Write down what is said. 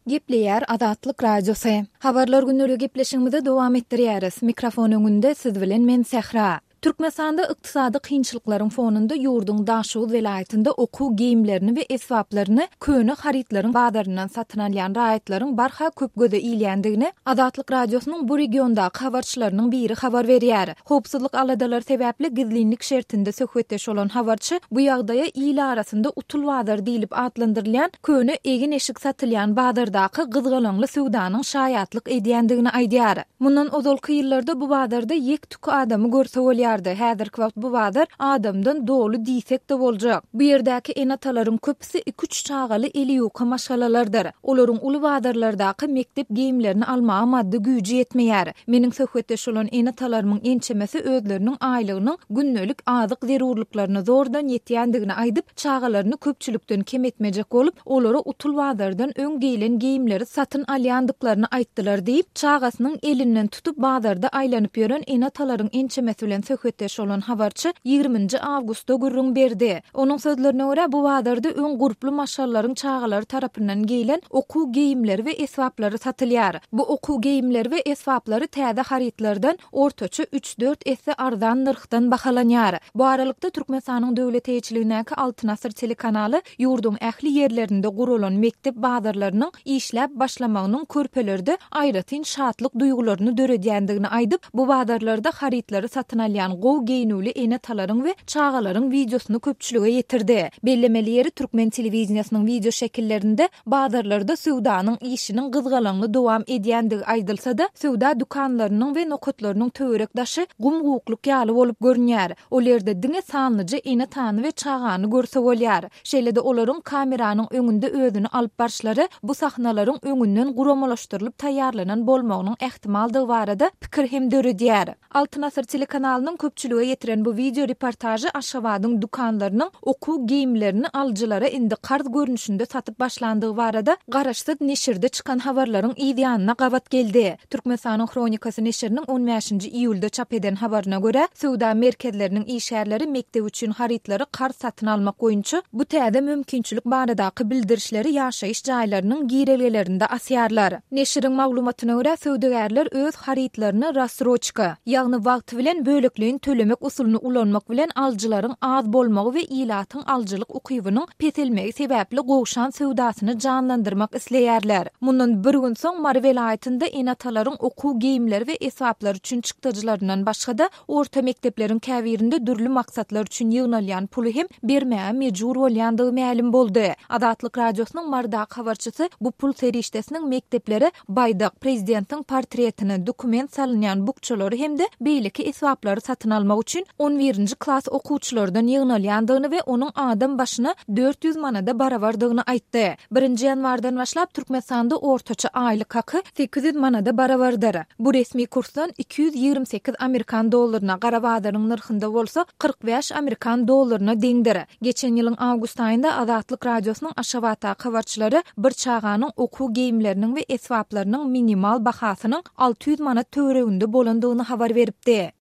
Gepleýär Azatlyk Radiosy. Habarlar günleri gepleşigimizi dowam etdirýäris. Mikrofon öňünde siz bilen men Sähra. Türkmenistanda ykdysady kynçylyklaryň fonunda ýurduň Daşoguz welaýatynda okuw geýimlerini we esbaplaryny köne harytlaryň bazaryndan satyn alýan raýatlaryň barha köp göze ilýändigini Azatlyk Radiosynyň bu regiondaky habarçylarynyň biri habar berýär. Howpsuzlyk aladalary sebäpli gizlinlik şertinde söhbetdeş bolan habarçy bu ýagdaýa il arasynda utul bazar diýlip atlandyrylýan köne egin-eşik satylýan bazardaky gyzgalaňly söwdanyň şaýatlyk edýändigini aýdýar. Mundan ozalky ýyllarda bu bazarda ýek-tük adamy görse bolýardy. Häzirki wagt bu bazar adamdan doly diýsek-de boljak. Bu ýerdäki ene-atalaryň köpüsi iki-üç çagaly eli ýuka maşgalalardyr. Olaryň uly bazarlardaky mekdep geýimlerini almaga maddy güýji ýetmeýär. Meniň söhbetdeş bolan ene-atalarymyň ençemesi özleriniň aýlygynyň gündelik azyk zerurlyklaryna zordan ýetýändigini aýdyp, çagalaryny köpçülikden kem etmejek bolup, olara utul bazardan öň geýlen geýimleri satyn alýandyklaryny aýtdylar diýip, çagasynyň elinden tutup bazarda aýlanyp ýören ene-atalaryň ençemesi bilen söhbetdeş bolan habarçy ýigriminji awgustda gürrüň berdi. Onuň sözlerine görä, bu bazarda öň gurply maşgalalaryň çagalary tarapyndan geýlen okuw geýimleri we esbaplary satylýar. Bu okuw geýimleri we esbaplary täze harytlardan ortaça üç-dört esse arzan nyrhdan bahalanýar. Bu aralykda, Türkmenistanyň döwlet eýeçiligindäki Altyn asyr telekanaly ýurduň ähli ýerlerinde guralan mekdep bazarlarynyň işläp başlamagynyň körpelerde aýratyn şatlyk duýgularyny döredýändigini aýdyp, bu bazarlarda harytlary satyn alýan gowy geýnüwli ene-atalaryň we çagalaryň wideosyny köpçülige ýetirdi. Bellemeli ýeri, türkmen telewideniýesiniň wideoşekillerinde bazarlarda söwdanyň işiniň gyzgalaňly dowam edýändigi aýdylsa-da, söwda dükanlarynyň we nokatlarynyň töwerek-daşy gum-gukluk ýaly bolup görünýär. Ol ýerde diňe sanlyja ene-atany we çagany görse bolýar. Şeýle-de olaryň kameranyň öňünde özüni alyp barşlary bu sahnalaryň öňünden guramalaşdyrylyp taýýarlanan bolmagynyň ähtimaldygy barada pikir hem döredýär. Altyn asyr telekanalynyň köpçülige ýetiren bu wideo reportažy Aşgabadyň dükanlarynyň okuw geýimlerini alyjylara indi karz görnüşinde satyp başlandygy barada garaşsyz neşirde çykan habarlaryň yz ýanyna gabat geldi. Türkmenistanyň Hronikasy neşiriniň on bäşinji iýulda çap eden habaryna görä, söwda merkezleriniň işgärleri mekdep üçin harytlary karz satyn almak boýunça bu täze mümkinçilik baradaky bildirişleri ýaşaýyş jaýlarynyň girelgelerinde asýarlar. Neşiriň maglumatyna görä, söwdagärler öz harytlaryny rassroçka, ýagny wagty bilen bölekleýin tölemek usulyny ulanmak bilen alyjylaryň az bolmagy we ilatyň alyjylyk ukybynyň peselmegi sebäpli gowşan söwdasyny janlandyrmak isleýärler. Mundan bir gün soň Mary welaýatynda ene-atalaryň okuw geýimleri we esbaplary üçin çykdajylaryndan başga-da, orta mekdepleriň käbirinde dürli maksatlar üçin ýygnalýan puly hem bermäge mejbur bolýandygy mälim boldy. Azatlyk Radiosynyň Marydaky habarçysy bu pul serişdesiniň mekdeplere baýdak, prezidentiň portretini, dokument salynýan bukjalary hem-de beýleki esbaplary satyn almak üçin on birinji klas okuwçylardan ýygnalýandygyny we onuň adam başyna 400 manada barabardygyny aýtdy. Birinji ýanwardan başlap Türkmenistanda ortaça aýlyk haky 800 manada barabardyr. Bu resmi kursdan 228 amerikan dollaryna, gara bazaryň nyrhynda bolsa 45 amerikan dollaryna deňdir. Geçen ýylyň awgust aýynda Azatlyk Radiosynyň Aşgabatdaky habarçylary bir çaganyň okuw geýimleriniň we esbaplarynyň minimal bahasynyň 600 manat töwereginde bolandygyny habar beripdi.